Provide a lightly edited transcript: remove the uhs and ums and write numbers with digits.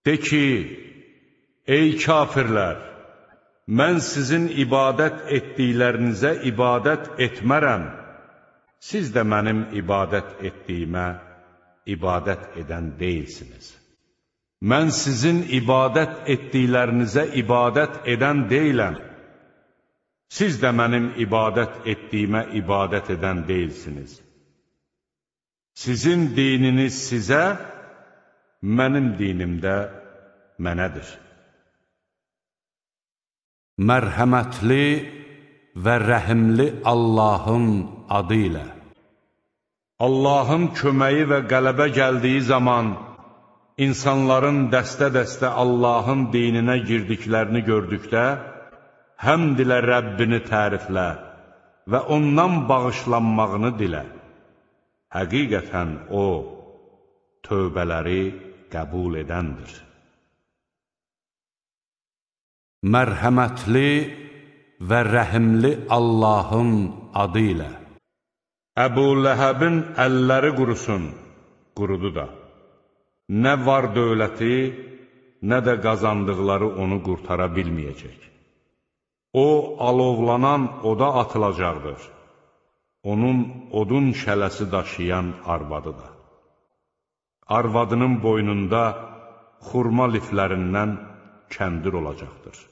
De ki, ey kafirlər, mən sizin ibadət etdiklərinizə ibadət etmərəm, siz də mənim ibadət etdiyimə ibadət edən deyilsiniz. Mən sizin ibadət etdiklərinizə ibadət edən deyiləm, siz də mənim ibadət etdiyimə ibadət edən deyilsiniz. Sizin dininiz sizə, mənim dinim də mənədir. Mərhəmətli və rəhimli Allahın adı ilə. Allahın köməyi və qələbə gəldiyi zaman, insanların dəstə-dəstə Allahın dininə girdiklərini gördükdə, həmd ilə Rəbbini təriflə və ondan bağışlanmağını dilə. Həqiqətən O, tövbələri qəbul edəndir. Mərhəmətli və rəhimli Allahın adı ilə. Əbu Ləhəbin əlləri qurusun, qurudu da. Nə var dövləti, nə də qazandıqları onu qurtara bilməyəcək. O, alovlanan oda atılacaqdır. Onun odun şələsi daşıyan arvadı da. Arvadının boynunda xurma liflərindən kəndir olacaqdır.